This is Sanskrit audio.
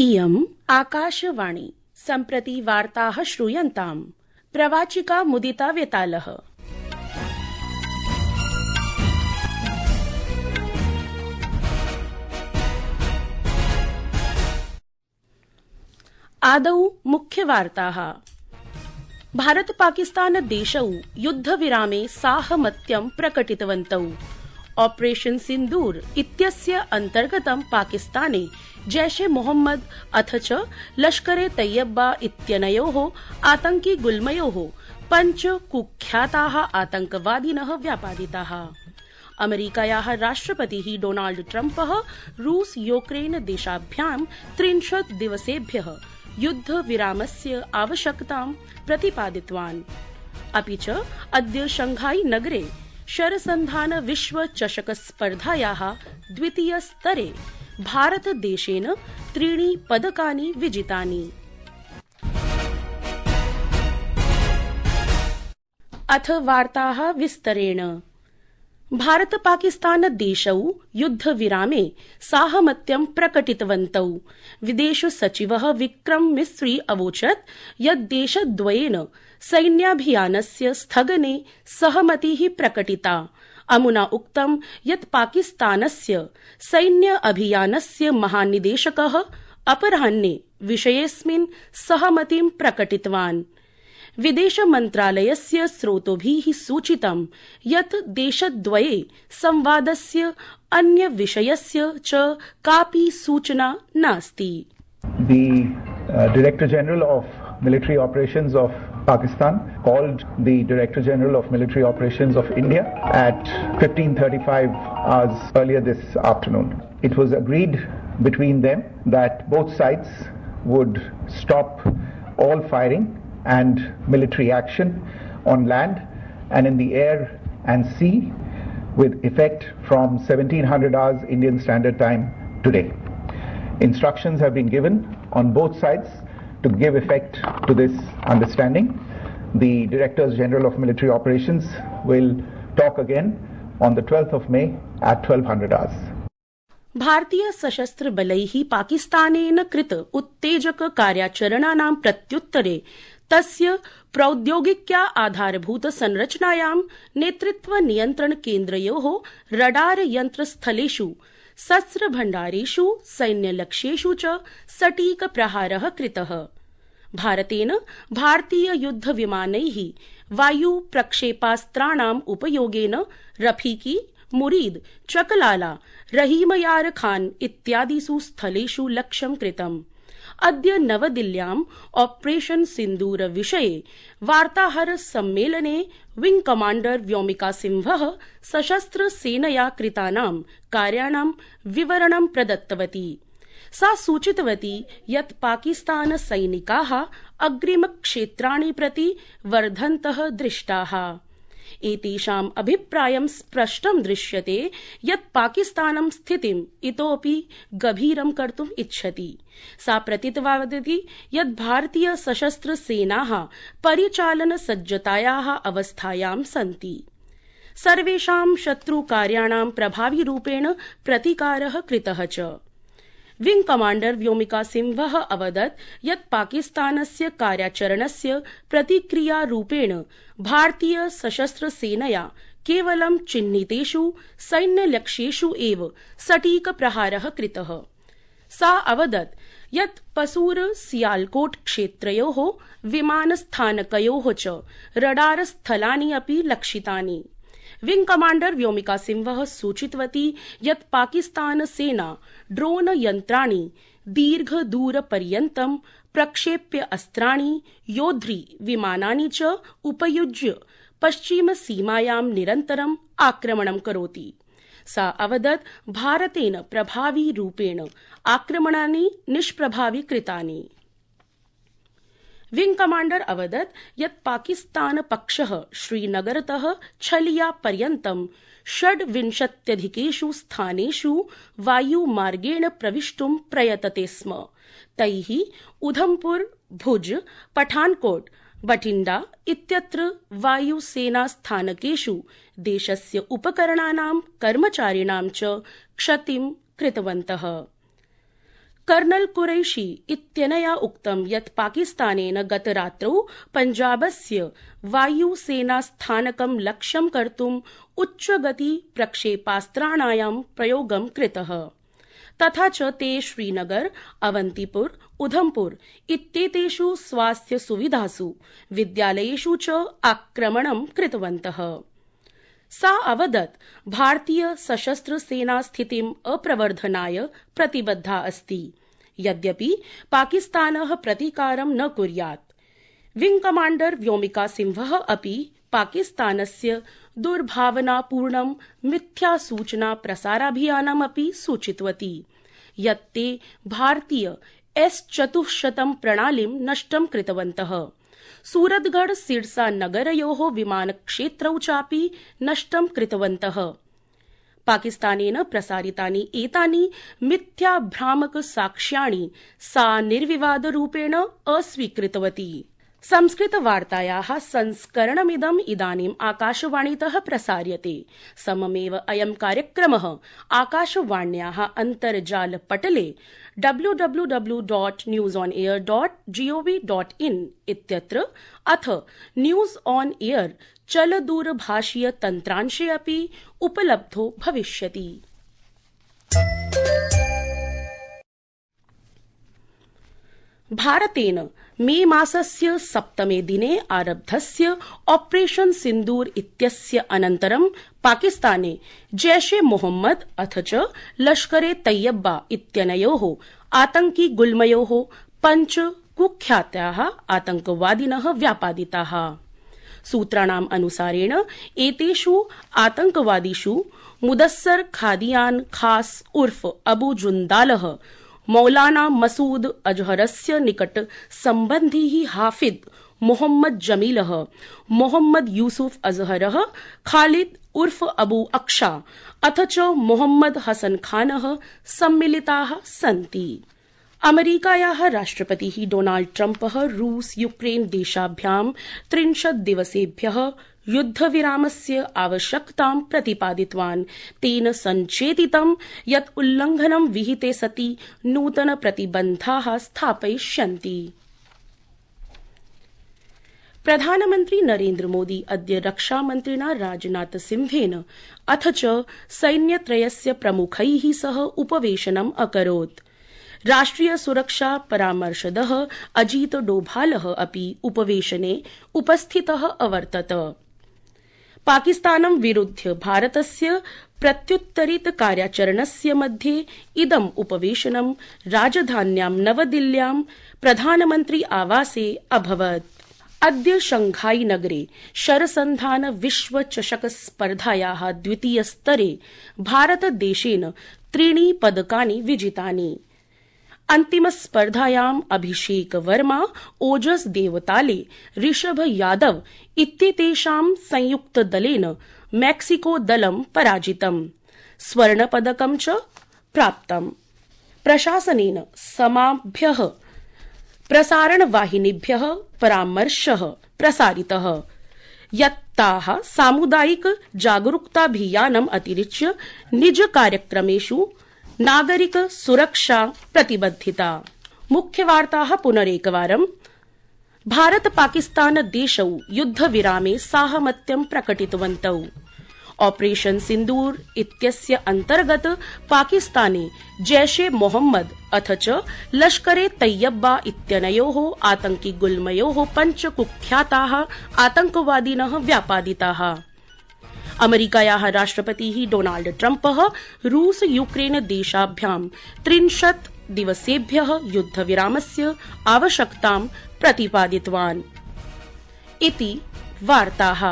इयम् आकाशवाणी सम्प्रति वार्ताः श्रूयन्ताम्। प्रवाचिका मुदिता वेतालः। आदौ मुख्यवार्ताः। भारत पाकिस्तान देशौ युद्धविरामे साहमत्यं प्रकटितवन्तौ। ऑपरेशन सिन्दूर इत्यस्य अन्तर्गतं पाकिस्ताने जैश ए मोहम्मद अथ च लश्कर ए तैयबा इत्यनयोः आतंकि गुल्मयोः 5 कुख्याताः आतंकवादिनः व्यापादिताः। अमेरिकायाः राष्ट्रपतिः डोनाल्ड ट्रम्पः रूस यूक्रेन देशाभ्यां 30 दिवसेभ्यः युद्धविरामस्य आवश्यकतां प्रतिपादितवान्। अपि च अद्य शंघाई नगरे शरसन्धान विश्व चषक स्पर्धायाः द्वितीयस्तरे भारतदेशेन 3 पदकानि विजितानि। अथ वार्ताः विस्तरेण। भारत पाकिस्तान देशौ युद्धविरामे साहमत्यं प्रकटितवन्तौ। विदेश सचिवः विक्रम मिस्री अवोचत् यत् देशद्वयेन सैन्याभियानस्य स्थगने सहमतिः प्रकटिता। अमुना उक्तं यत् पाकिस्तानस्य सैन्य अभियानस्य महानिदेशकः अपराह्ने विषयेऽस्मिन् सहमतिं प्रकटितवान्। विदेश मन्त्रालयस्य स्रोतोभिः सूचितं यत् देशद्वये संवादस्य अन्य विषयस्य च कापि सूचना नास्ति। The Director General of Military Operations of Pakistan called the Director General of Military Operations of India at 15:35 hours earlier this afternoon. It was agreed between them that both sides would stop all firing and military action on land and in the air and sea with effect from 1700 hours Indian Standard Time today. Instructions have been given on both sides to give effect to this understanding. The Directors General of Military Operations will talk again on the 12th of May at 1200 hours. भारतीय सशस्त्र बलैः पाकिस्तानेन कृत उत्तेजक कार्याचरणानां प्रत्युत्तरे तस्य प्रौद्योगिक्या आधारभूत संरचनायां नेतृत्व नियन्त्रण केन्द्रयोः रडार यन्त्रस्थलेषु शस्त्रभण्डारेषु सैन्यलक्ष्येषु च सटीक प्रहारः कृतः। भारतेन भारतीय युद्धविमानैः वायु प्रक्षेपास्त्राणाम् उपयोगेन रफीकी, मुरीद, चकलाला, रहीमयार खान इत्यादिषु स्थलेषु लक्ष्यं कृतम्। अद्य नवदिल्ल्याम् ऑपरेशन सिन्दूर विषये वार्ताहर सम्मेलने विंग कमाण्डर व्योमिका सिंहः सशस्त्र सेनया कृतानां कार्याणां विवरणं प्रदत्तवती। सा सूचितवती यत् पाकिस्तान सैनिकाः अग्रिमक्षेत्राणि प्रति वर्धन्तः दृष्टाः। एतेषाम् अभिप्रायं स्पष्टं दृश्यते यत् पाकिस्तानं स्थितिम् इतोऽपि गभीरं कर्तुम् इच्छति। सा प्रतिपादितवती यत् भारतीय सशस्त्र सेनाः परिचालन सज्जतायाः अवस्थायां सन्ति। सर्वेषां शत्रुकार्याणां प्रभाविरूपेण प्रतिकारः कृतः च। विंग कमाण्डर व्योमिका सिंहः अवदत् यत् पाकिस्तानस्य कार्याचरणस्य प्रतिक्रियारूपेण भारतीय सशस्त्र सेनया केवलं चिह्नितेषु सैन्यलक्ष्येषु एव सटीक प्रहारः कृतः। सा अवदत् यत् पसूर सियालकोट क्षेत्रयोः विमानस्थानकयोः च रडार स्थलानि अपि लक्षितानि। विंग कमाण्डर व्योमिका सिंहः सूचितवती यत् पाकिस्तान सेना ड्रोन यन्त्राणि दीर्घदूरपर्यन्तं प्रक्षेप्य अस्त्राणि योद्धृ विमानानि च उपयुज्य पश्चिमसीमायां निरन्तरम् आक्रमणं करोति। सा अवदत् भारतेन प्रभाविरूपेण आक्रमणानि निष्प्रभावी कृतानि। विंग कमाण्डर अवदत् यत् पाकिस्तान पक्षः श्रीनगरतः छलिया पर्यन्तं 26 स्थानेषु वायुमार्गेण प्रविष्टुं प्रयतते स्म। तैः उधमपुर, भुज, पठानकोट, बठिण्डा इत्यत्र वायुसेनास्थानकेषु देशस्य उपकरणानां कर्मचारिणां च क्षतिं कृतवन्तः। कर्नल कुरैशी इत्यनया उक्तं यत् पाकिस्तानेन गतरात्रौ पञ्जाबस्य वायुसेनास्थानकं लक्ष्यं कर्तुम् उच्चगति प्रक्षेपास्त्राणां प्रयोगं कृतः। तथा च ते श्रीनगर, अवन्तिपुर, उधमपुर इत्येतेषु स्वास्थ्य सुविधासु, विद्यालयेषु च आक्रमणं कृतवन्तः। सा अवदत् भारतीय सशस्त्र सेना स्थितिम् अप्रवर्धनाय प्रतिबद्धा अस्ति, यद्यपि पाकिस्तानः प्रतीकारं न कुर्यात्। विंग कमाण्डर व्योमिका सिंहः अपि पाकिस्तानस्य दुर्भावनापूर्णं मिथ्यासूचना प्रसाराभियानमपि सूचितवती यत् ते भारतीय S-400 प्रणालीं नष्टं कृतवन्तः। सूरतगढ़ सिरसा नगरयोः विमानक्षेत्रौ चापि नष्टं कृतवन्तः। पाकिस्तानेन प्रसारितानि एतानि मिथ्याभ्रामक साक्ष्याणि सा निर्विवादरूपेण अस्वीकृतवती। संस्कृतवार्तायाः संस्करणमिदम् इदानीम् आकाशवाणीतः प्रसार्यते। सममेव अयं कार्यक्रमः आकाशवाण्याः अन्तर्जालपटले www.newsonair.gov.in इत्यत्र अथ न्यूज ऑन एयर चलदूरभाषीय तन्त्रांशे अपि उपलब्धो भविष्यति। भारतेन मे मासस्य 7 दिने आरब्धस्य ऑपरेशन सिन्दूर इत्यस्य अनन्तरं पाकिस्ताने जैशे मोहम्मद अथ च लश्करे तैयब्बा इत्यनयोः आतंकि गुल्मयोः 5 कुख्याताः आतंकवादिनः व्यापादिताः। सूत्राणाम् अनुसारेण एतेषु आतंकवादिषु मुदस्सर खादियान खास उर्फ अबू जुन्दालः, मौलाना मसूद अजहरस्य निकट सम्बन्धी हाफिज मोहम्मद जमीलः, मोहम्मद यूसुफ अजहरः, खालिद उर्फ अबू अक्षा अथ च मोहम्मद हसन खानः सम्मिलिताः सन्ति। अमेरिकायाः राष्ट्रपतिः डोनाल्ड ट्रम्पः रूस यूक्रेन देशाभ्यां 30 दिवसेभ्यः युद्धविरामस्य आवश्यकतां प्रतिपादितवान्। तेन सञ्चेतितं यत् उल्लङ्घनं विहिते सति नूतन प्रतिबन्धाः स्थापयिष्यन्ति। प्रधानमन्त्री नरेन्द्र मोदी अद्य रक्षामन्त्रिणा राजनाथ सिंहेन अथ च सैन्यत्रयस्य प्रमुखैः सह उपवेशनम् अकरोत्। राष्ट्रिय सुरक्षा परामर्शदः अजीत डोभालः अपि उपवेशने उपस्थितः अवर्तत। पाकिस्तानं विरुध्य भारतस्य प्रत्युत्तरित कार्याचरणस्य मध्ये इदम् उपवेशनं राजधान्यां नवदिल्ल्यां प्रधानमन्त्री आवासे अभवत्। अद्य शंघाई नगरे शरसन्धान विश्व चषक स्पर्धायाः द्वितीयस्तरे भारतदेशेन 3 पदकानि विजितानि। अन्तिमस्पर्धायाम् अभिषेक वर्मा, ओजस देवताले, ऋषभ यादव इत्येतेषां संयुक्तदलेन मैक्सिको दलं पराजितम्। स्वर्णपदकं च प्राप्तम्। प्रशासनेन समाभ्यः प्रसारणवाहिनीभ्यः परामर्शः प्रसारितः यत् ताः सामुदायिक जागरूकताभियानम् अतिरिच्य निज कार्यक्रमेषु नागरिक सुरक्षा प्रतिबद्धिता। मुख्यवार्ताः पुनरेकवारम्। भारत पाकिस्तान देशौ युद्धविरामे साहमत्यं प्रकटितवन्तौ। ऑपरेशन सिन्दूर इत्यस्य अन्तर्गत पाकिस्ताने जैशे मोहम्मद अथ च लश्करे तैयब्बा इत्यनयोः आतंकि गुल्मयोः 5 कुख्याताः आतंकवादिनः व्यापादिताः। अमेरिकायाः राष्ट्रपतिः डोनाल्ड ट्रम्पः रूस यूक्रेन देशाभ्यां 30 दिवसेभ्यः युद्धविरामस्य आवश्यकतां प्रतिपादितवान्। इति वार्ताः।